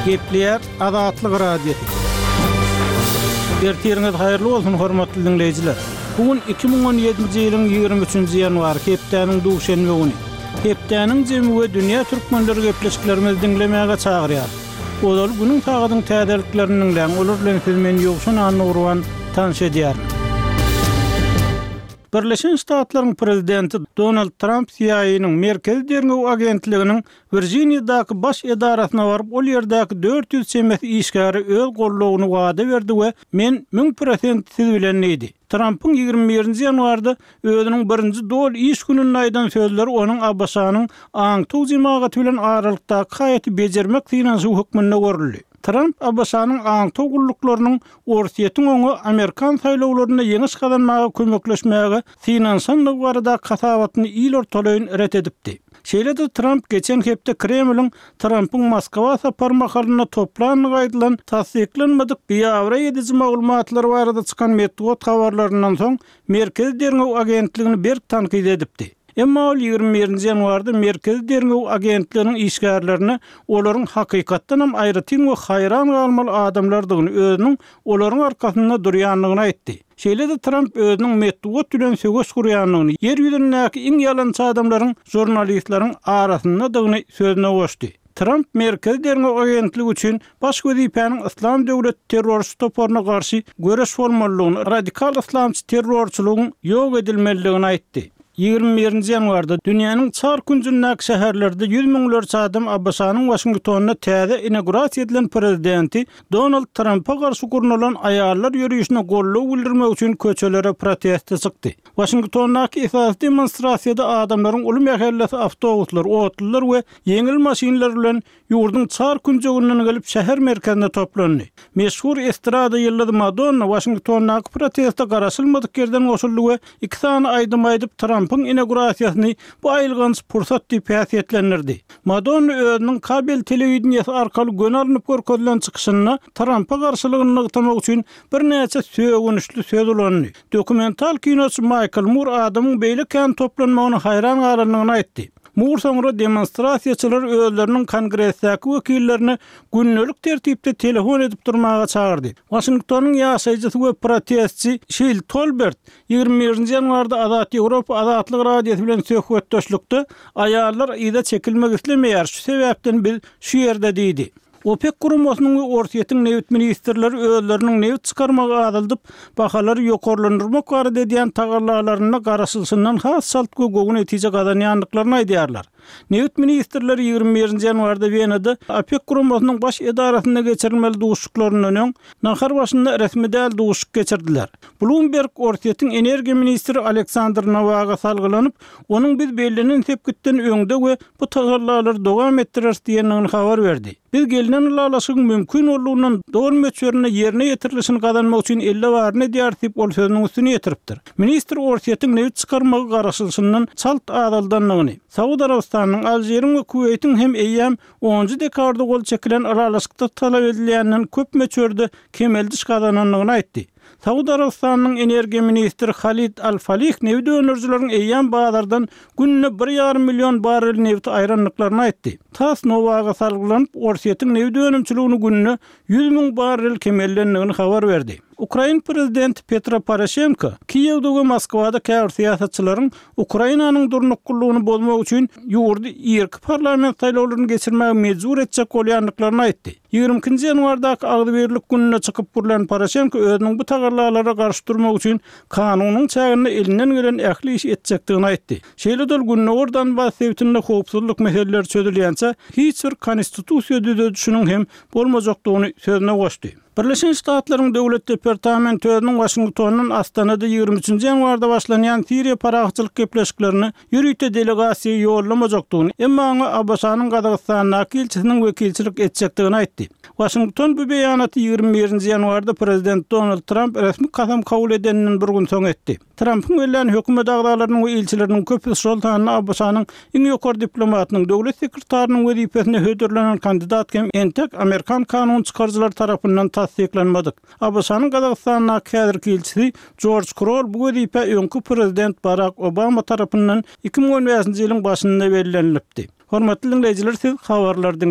Gepleýär Azatlyk Radiosy. Ertiriňiz haýyrly bolsun, hormatly diňleýjiler! Bu gün 2017-nji ýylyň 23-nji ýanwary, hepdäniň duşenbe güni. Hepdäniň jemi we dünýä türkmenleri gepleşiklerimizi diňlemäge çagyrýar. Ozal günüň sagadyň täzeliklerini diňläň, olar bilen sizi men Ýowşan Annagurban tanyş edýärin. Birleşen Ştatlaryň prezidenti Donald Tramp CIA-nyň, Merkezi derňew agentliginiň Wirjiniýadaky baş edarasyna baryp, ol ýerdäki 400 çemesi işgäre öz goldawyny wada berdi we Men 1000% siz bilen diýdi. Trampyň 21-nji ýanwarda özüniň birinji doly iş gününde aýdan sözleri onuň ABŞ-nyň aňtaw jemagaty bilen aralykdaky haýaty bejermek synanyşygy hökmünde görüldi. Tramp ABŞ-nyň aňtaw gulluklarynyň Orsýetiň oňa amerikan saýlawlarynda ýeňiş gazanmaga kömekleşmäge synanyşandygy baradaky hasabatyny il ortalaýyn ret edipdi. Şeýle-de Tramp geçen hepde Kremliň Trampyň Moskwa sapary mahalynda toplandygy aýdylan tassyklanmadyk biabraý ediji maglumatlar barada çykan metbugat habarlaryndan soň Merkezi derňew agentligini berk tankyt edipdi. Emma ol 21-nji ýanwarda Merkezi derňew agentliginiň işgärlerine olaryň hakykatdanam aýratyn we haýran galmaly adamlardygyny, özüniň olaryň arkasynda durýandygyny aýtdy. Şeýle-de Tramp özüniň metbugat bilen söweş gurýandygyny, ýer ýüzündäki iň ýalançy adamlaryň žurnalistleriň arasyndadygyny sözüne goşdy. Tramp Merkezi derňew agentligi üçin baş wezipäniň Yslam döwleti terrorçy toparyna garşy göreş bolmalydygyny, radikal yslamçy terrorçylygyň ýok edilmelidigini aýtdy. 21-nji ýanwarda dünýäniň çar künjündäki şäherlerde ýüz müňlerçe adam ABŞ-nyň Waşingtonda täze inaugurasiýa edilen prezidenti Donald Trampa garşy gurnalan aýallar ýörişine goldaw bildirmek üçin köçelere proteste çykdy. Waşingtondaky esasy demonstrasiýada adamlaryň uly mähellesi awtobuslar, otlular we ýeňil maşynlar bilen ýurduň çar künjeginden gelip şäher merkezine toplandy. Meşhur estrada ýyldyzy Madonna Waşingtondaky proteste garaşylmadyk ýerden goşuldy we iki sany aýdym aýdyp Trampyň inaugurasiýasyny bu aýylganç pursat diýip häsiýetlendirdi. Madonna özüniň kabel telewideniýesi arkaly göni alnyp görkezilen çykyşynda Trampa garşylygyny nygtamak üçin birnäçe sögünçli söz ulandy. Dokumental kinoçy Maýkl Mur adamyň beýle kän toplanmagyna haýran galandygyny aýtdy. Mur soňra demonstrasiýaçylary özleriniň Kongresdäki wekillerine gündelik tertipde telefon edip durmaga çagyrdy. Waşingtonyň ýaşaýjysy we protestçi Şil Tolbert 21-nji ýanwarda Azat Ýewropa Azatlyk Radiosy bilen söhbetdeşlikde Aýallar yza çekilmek islemeýär, şu sebäpden biz şu ýerde diýdi. OPEK guramasynyň we Orsýetiň nebit ministrleri özleriniň nebit çykarmagy azaldyp, bahalary ýokarlandyrmak barada edýän tagallalarynda garaşylyşyndan has çalt we gowy netije gazanýandyklaryny aýdýarlar. Nebit ministrleri 21-nji ýanwarda Wenada OPEK guramasynyň baş edarasynda geçirilmeli duşuşyklaryndan öň, nahar başynda resmi däl duşuşyk geçirdiler. Bloomberg Orsýetiň energiýa ministri Aleksandr Nowaga salgylanyp, onuň biz bellenen sepgitden öňde we bu tagallalary dowam etdireris diýendigini habar berdi. Biz gelnen ylalaşygyň mümkin boldugyndan doly möçberinde ýerine ýetirilişini gazanmak üçin elde baryny edýäris diýip, ol sözüniň üstüni ýetiripdir. Ministr Orsýetiň nebit çykarmagy garaşylyşyndan çalt azaldandygyny, Saud Arabystanynyň, Alžiriň we Kuweýtiň hem eýýäm onunjy dekabrda gol çekilen ylalaşykda talap edilýänden köp möçberde kemeldiş gazanandygyny aýtdy. Saud Arabystanynyň energiýa ministri Halid al-Falih nebit öndürijileriň eýýäm bazardan günde bir ýarym million barrel nebiti aýrandyklaryny aýtdy. Tass Nowaga salgylanyp, Orsýetiň nebit önümçiligini günde 100 müň barrel kemeldendigini habar berdi. Ukrain prezidenti Petro Poroşenko Kiýewde we Moskwada käbir syýasatçylaryň Ukrainanyň durnuklylygyny bozmak üçin ýurdy irki parlament saýlawlaryny geçirmäge mejbur etjek bolýandyklaryny aýtdy. 22-nji ýanwardaky Agzybirlik gününde çykyp gürlän Poroşenko özüniň bu tagallalara garşy durmak üçin kanunyň çäginde elinden gelen ähli işi etjekdigini aýtdy. Şeýle-de ol Gündogar Donbas sebitinde howpsuzlyk meseleleri çözülýänçä hiç bir konstitusiýa düzedişiniň hem bolmajakdygyny sözüne goşdy. Birleşen Ştatlaryň Döwlet departamenti özüniň Waşingtondan Astanada 23-nji ýanwarda başlanýan Siriýa parahatçylyk gepleşiklerine ýörite delegasiýa ýollamajakdygyny, emma oňa ABŞ-nyň Gazagystandaky ilçisiniň wekilçilik etjekdigini aýtdy. Waşington bu beýanaty 21-nji ýanwarda prezident Donald Tramp resmi kasam kabul edeninden bir gün soň etdi. Trampyň bellän hökümet agzalarynyň we ilçileriniň köpüsi, şol sanda ABŞ-nyň iň ýokary diplomatynyň, döwlet sekretarynyň wezipesine hödürlenen kandidat hem entek amerikan kanun çykaryjylary tarapyndan tassyklanmadyk. ABŞ-nyň Gazagystandaky häzirki ilçisi Jorj Kroll bu wezipä öňki prezident Barak Obama tarapyndan 2015-nji ýylyň başynda bellenilipdi. Hormatly diňleýjiler, siz habarlary diňlediňiz.